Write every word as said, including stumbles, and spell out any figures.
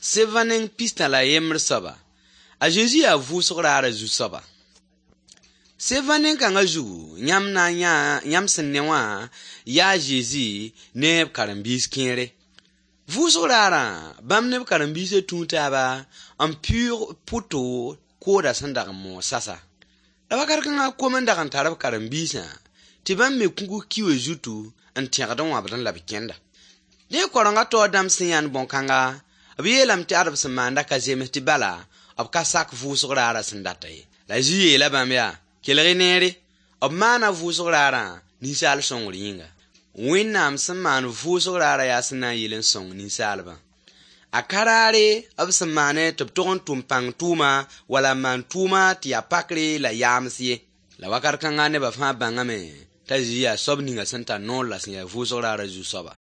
Sebã neng pistã la yembr soaba, a Zezi yaa vʋʋsg raarã zu-soaba. Sebã nen-kãngã zugu, yãmb na n yãa yãmb sẽn ne wã yaa Zezi ne b karen-biis kẽere. Vʋʋsg raarã, bãmb ne b karen-biisã tũu taaba n pʋʋg pʋto koodã sẽn dag n moog sasa. La wakat kãngã kom n dag n tar b karen-biisã tɩ bãmb me kũgs kiwã zutu n tẽgd n wãbdẽ la b kẽnda. Dẽ koarenga taoor dãmb sẽn yãnd bõn-kãnga, b yeelame tɩ ad b sẽn maanda ka zems tɩ bala b ka sak vʋʋsg raarã sẽn data ye. La Zezi yeela bãmb yaa: kelg-y neere, b maana vʋʋsg raarã ninsaal sõngr yĩnga. Wẽnnaam sẽn maan vʋʋsg raarã yaa sẽn na n yɩl n sõng ninsaalbã. A ka raare b sẽn maane tɩ b tog n tʋm pãng tʋʋma wala n maan tʋʋma tɩ yaa pakre la yaams ye. La wakat kãnga nebã fãa bãngame t'a Zezi yaa soab ninga sẽn tar noor la sẽn yaa vʋʋsg raarã zu-soaba.